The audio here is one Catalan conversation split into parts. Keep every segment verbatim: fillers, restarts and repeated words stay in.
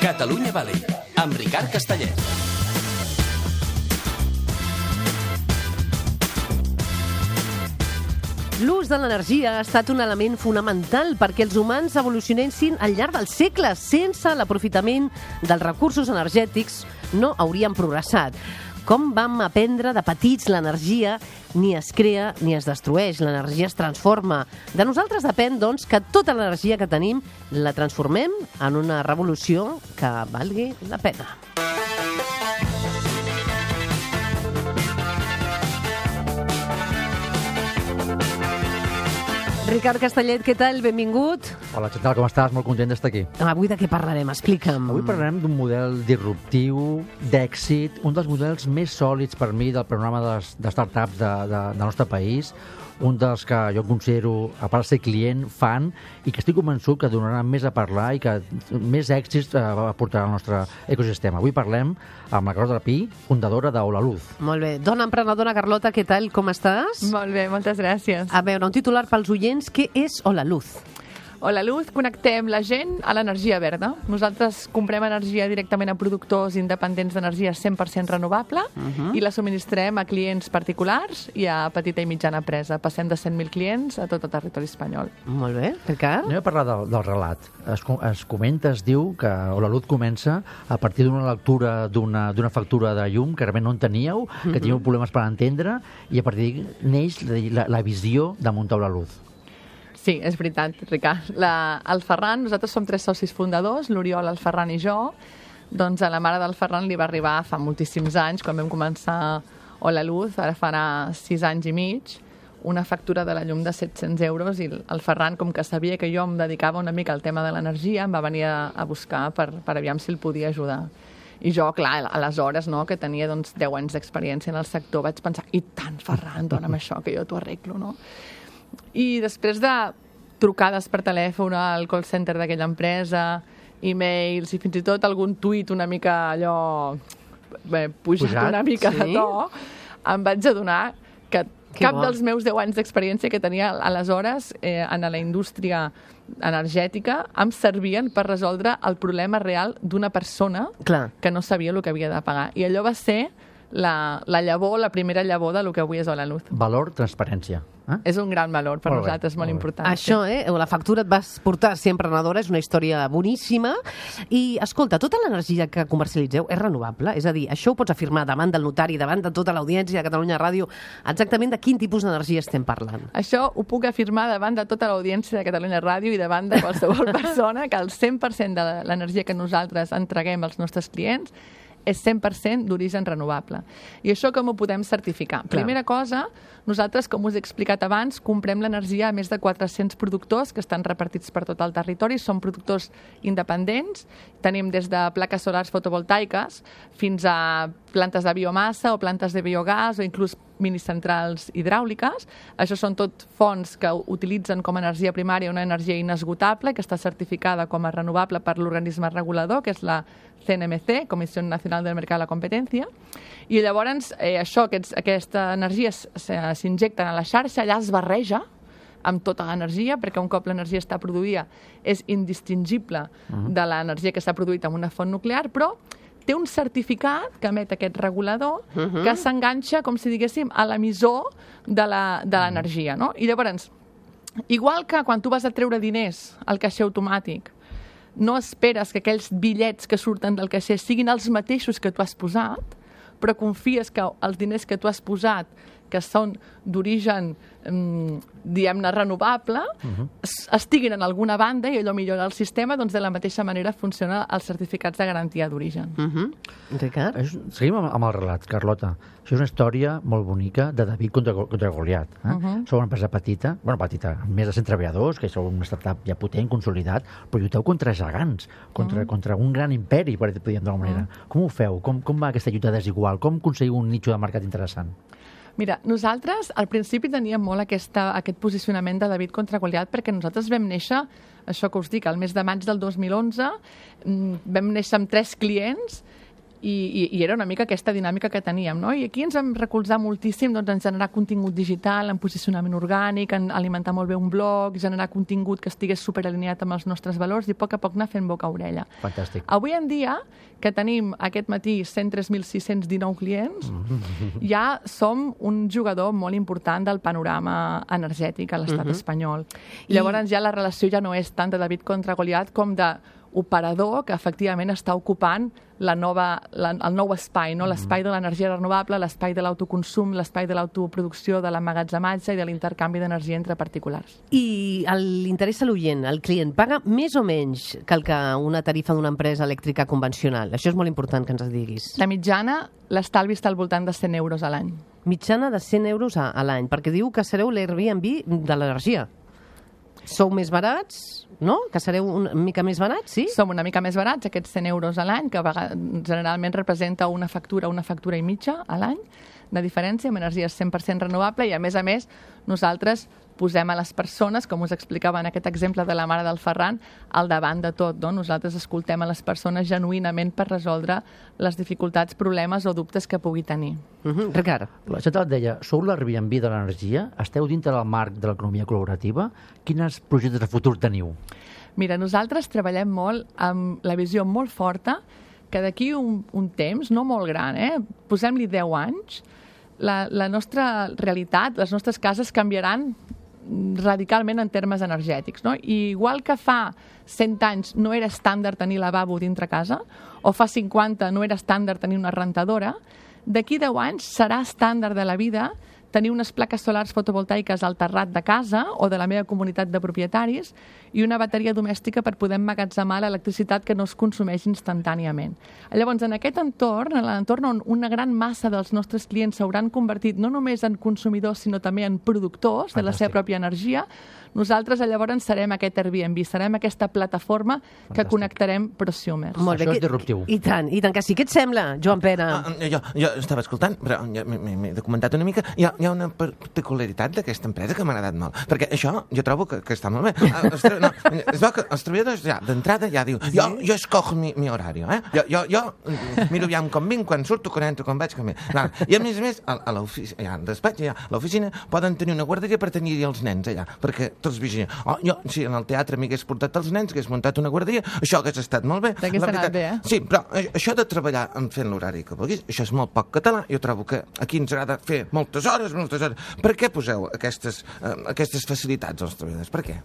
Catalunya Valley, amb Ricard Castellet. L'ús de l'energia ha estat un element fonamental perquè els humans evolucionessin al llarg dels segles. Sense l'aprofitament dels recursos energètics no hauríem progressat. Com vam aprendre de petits, l'energia ni es crea ni es destrueix, l'energia es transforma. De nosaltres depèn, doncs, que tota l'energia que tenim la transformem en una revolució que valgui la pena. Ricard Castellet, què tal? Benvingut. Hola, què tal? Com estàs? Molt content d'estar aquí. Avui de què parlarem? Explica'm. Avui parlarem d'un model disruptiu, d'èxit, un dels models més sòlids per mi del programa de, les, de startups de, de, del nostre país, un dels que jo considero, a part de ser client, fan, i que estic convençut que donarà més a parlar i que més èxits eh, aportarà al nostre ecosistema. Avui parlem amb la Carlota Pi, fundadora d'Holaluz. Molt bé. Dona emprenedora, Carlota, què tal? Com estàs? Molt bé, moltes gràcies. A veure, un titular pels oients. Què és Holaluz? Holaluz, connectem la gent a l'energia verda. Nosaltres comprem energia directament a productors independents d'energia cent per cent renovable uh-huh. i la subministrem a clients particulars i a petita i mitjana empresa. Passem de cent mil clients a tot el territori espanyol. Molt bé, Ricard. Anem a parlar del, del relat. Es, es comenta, es diu que Holaluz comença a partir d'una lectura d'una d'una factura de llum que realment no en teníeu, que uh-huh. teníeu problemes per entendre, i a partir d'ahí neix la, la visió de muntar Holaluz. Sí, és veritat, Ricard. La, el Ferran, nosaltres som tres socis fundadors, l'Oriol, el Ferran i jo. Doncs a la mare del Ferran li va arribar fa moltíssims anys, quan vam començar Holaluz, ara farà sis anys i mig, una factura de la llum de set-cents euros, i el Ferran, com que sabia que jo em dedicava una mica al tema de l'energia, em va venir a, a buscar per, per aviam si el podia ajudar. I jo, clar, aleshores, no, que tenia doncs, deu anys d'experiència en el sector, vaig pensar, i tant, Ferran, dona'm això, que jo t'ho arreglo, no? I després de trucades per telèfon al call center d'aquella empresa, e-mails i fins i tot algun tuit una mica allò bé, pujat, pujat una mica sí? de to, em vaig adonar que que cap bo. dels meus deu anys d'experiència que tenia aleshores eh, en la indústria energètica em servien per resoldre el problema real d'una persona Clar. que no sabia el que havia de pagar. I allò va ser la, la llavor, la primera llavor del que avui és Holaluz. Valor, transparència. Eh? És un gran valor per molt nosaltres, bé, molt, molt important. Això, eh? La factura et vas portar a ser emprenedora, és una història boníssima. I, escolta, tota l'energia que comercialitzeu és renovable? És a dir, això ho pots afirmar davant del notari, davant de tota l'audiència de Catalunya Ràdio, exactament de quin tipus d'energia estem parlant? Això ho puc afirmar davant de tota l'audiència de Catalunya Ràdio i davant de qualsevol persona, que el cent per cent de l'energia que nosaltres entreguem als nostres clients és cent per cent d'origen renovable. I això com ho podem certificar? Clar. Primera cosa, nosaltres, com us he explicat abans, comprem l'energia a més de quatre-cents productors que estan repartits per tot el territori. Són productors independents. Tenim des de plaques solars fotovoltaiques fins a plantes de biomassa o plantes de biogàs o inclús minicentrals hidràuliques. Això són tot fonts que utilitzen com a energia primària una energia inesgotable que està certificada com a renovable per l'organisme regulador, que és la C N M C, Comissió Nacional del Mercat de la Competència. I llavors eh, això, aquests, aquesta energia s'injecta a la xarxa, allà es barreja amb tota l'energia, perquè un cop l'energia està produïda és indistingible uh-huh. de l'energia que s'ha produït amb una font nuclear, però té un certificat que emet aquest regulador uh-huh. que s'enganxa, com si diguéssim, a l'emissor de l'energia. No? I llavors, igual que quan tu vas a treure diners al caixer automàtic, no esperes que aquells bitllets que surten del caixer siguin els mateixos que tu has posat, però confies que els diners que tu has posat, que són d'origen, um, diguem-ne, renovable, uh-huh. estiguin en alguna banda i allò millora el sistema, doncs de la mateixa manera funcionen els certificats de garantia d'origen. Uh-huh. Ricard? Seguim amb, amb el relat, Carlota. Això és una història molt bonica de David contra, contra Goliat. Eh? Uh-huh. Sou una empresa petita, bueno, petita, amb més de cent treballadors, que sou una startup ja potent, consolidat, però lluiteu contra gegants, contra, uh-huh. contra un gran imperi, per dir-ho d'alguna manera. Uh-huh. Com ho feu? Com, com va aquesta lluita desigual? Com aconseguiu un nicho de mercat interessant? Mira, nosaltres al principi teníem molt aquesta, aquest posicionament de David contra Goliat perquè nosaltres vam néixer, això que us dic, al mes de maig del dos mil onze, vam néixer amb tres clients I, i, i era una mica aquesta dinàmica que teníem, no? I aquí ens vam recolzar moltíssim doncs, en generar contingut digital, en posicionament orgànic, en alimentar molt bé un blog, generar contingut que estigués superalineat amb els nostres valors i a poc a poc anar fent boca-orella. Fantàstic. Avui en dia, que tenim aquest matí cent tres mil sis-cents dinou clients, ja som un jugador molt important del panorama energètic a l'estat Mhm. espanyol. I- Llavors ja la relació ja no és tant de David contra Goliat com de operador que efectivament està ocupant la nova, la, el nou espai, no? L'espai de l'energia renovable, l'espai de l'autoconsum, l'espai de l'autoproducció, de l'emmagatzematge i de l'intercanvi d'energia entre particulars. I l'interès a l'oient, el client, paga més o menys que el que una tarifa d'una empresa elèctrica convencional? Això és molt important que ens diguis. La mitjana, l'estalvi està al voltant de cent euros a l'any. Mitjana de cent euros a, a l'any, perquè diu que sereu l'Airbnb de l'energia. Sou més barats, no? Que sereu una mica més barats, sí? Som una mica més barats, aquests cent euros a l'any, que a vegades, generalment representa una factura, una factura i mitja a l'any de diferència, amb energia cent per cent renovable, i a més a més nosaltres posem a les persones, com us explicava en aquest exemple de la mare del Ferran, al davant de tot, no? Nosaltres escoltem a les persones genuïnament per resoldre les dificultats, problemes o dubtes que pugui tenir. Uh -huh. Ricard. La Xata et deia, sou l'Airbnb de l'energia? Esteu dintre del marc de l'economia col·laborativa? Quins projectes de futur teniu? Mira, nosaltres treballem molt amb la visió molt forta que d'aquí un, un temps, no molt gran, eh? Posem-li deu anys, la, la nostra realitat, les nostres cases canviaran radicalment en termes energètics, no? I igual que fa cent anys no era estàndard tenir lavabo dintre casa, o fa cinquanta no era estàndard tenir una rentadora, d'aquí deu anys serà estàndard de la vida tenir unes plaques solars fotovoltaiques al terrat de casa o de la meva comunitat de propietaris i una bateria domèstica per poder emmagatzemar l'electricitat que no es consumeix instantàniament. Llavors, en aquest entorn, en l'entorn on una gran massa dels nostres clients s'hauran convertit no només en consumidors, sinó també en productors de la seva pròpia energia, nosaltres llavors serem aquest Airbnb, serem aquesta plataforma que Fantàstic. connectarem prosumers. Molt bé. Això és que- disruptiu. I tant, i tant que sí. Què et sembla, Joan Pere? Ah, jo, jo estava escoltant, però ja m'he- m'he m'he documentat una mica. Hi ha, hi ha una particularitat d'aquesta empresa que m'ha agradat molt. Perquè això jo trobo que, que està molt bé. Ah, els, tra- no, es veu que els treballadors ja d'entrada ja diu jo, jo escojo mi, mi horari, eh? Jo, jo, jo miro aviam com vinc, quan surto, quan entro, quan vaig, com vinc. Clar. I a més a més, a, a l'oficina, ja, al despatx, ja, a l'oficina, poden tenir una guarderia per tenir els nens allà, perquè tots vigilin. Oh, jo, si en el teatre m'hagués portat els nens, hagués muntat una guarderia, això hagués estat molt bé. T'hagués La anat veritat- bé, eh? Sí, però a- això de treballar en fent l'horari que vulguis, això és molt poc català. Jo trobo que aquí ens agrada fer moltes hores, moltes hores. Per què poseu aquestes, eh, aquestes facilitats als treballadors? Per què?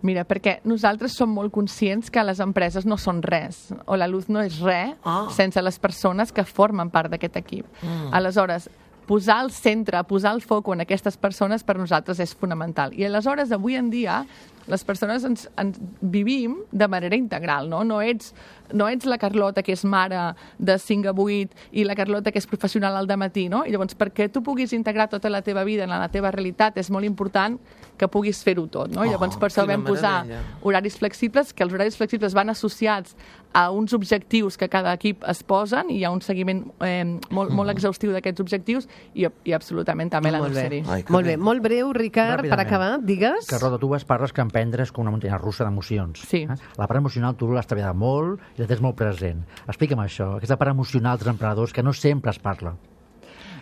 Mira, perquè nosaltres som molt conscients que les empreses no són res, o la luz no és res, Ah. sense les persones que formen part d'aquest equip. Mm. Aleshores, posar al centre, posar el foc en aquestes persones per nosaltres és fonamental. I aleshores, avui en dia, les persones ens, ens vivim de manera integral, no? No ets, no ets la Carlota, que és mare de cinc a vuit, i la Carlota, que és professional al dematí, no? I llavors, perquè tu puguis integrar tota la teva vida en la teva realitat, és molt important que puguis fer-ho tot, no? I Oh, llavors, per això quina vam posar meravella. horaris flexibles, que els horaris flexibles van associats a uns objectius que cada equip es posen i hi ha un seguiment eh, molt, molt exhaustiu d'aquests objectius i, i absolutament també la Molt bé. nursery. Ai, que Molt bé. bé, molt breu, Ricard, per Ràpidament. acabar, digues. Que, Roda, tu vas parles que emprendre com una muntanya russa d'emocions. Sí. Eh? La part emocional tu l'has treballat molt i la tens molt present. Explica'm això, aquesta part emocional dels emprenedors que no sempre es parla.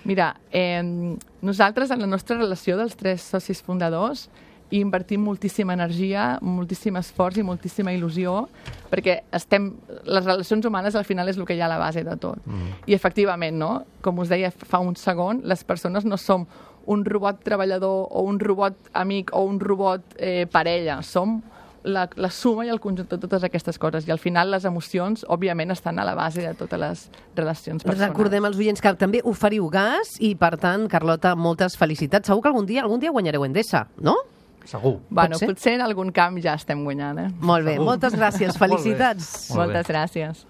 Mira, eh, nosaltres en la nostra relació dels tres socis fundadors hi invertim moltíssima energia, moltíssim esforç i moltíssima il·lusió, perquè estem, les relacions humanes al final és el que hi ha a la base de tot. Mm. I efectivament, no? Com us deia fa un segon, les persones no som un robot treballador o un robot amic o un robot eh, parella, som la, la suma i el conjunt de totes aquestes coses. I al final les emocions, òbviament, estan a la base de totes les relacions personals. Recordem als oients que també oferiu gas i, per tant, Carlota, moltes felicitats. Segur que algun dia algun dia guanyareu Endesa, no? Segur. Bueno, Pot ser? potser en algun camp ja estem guanyant, eh? Molt bé, moltes gràcies, felicitats. Molt bé. Moltes gràcies.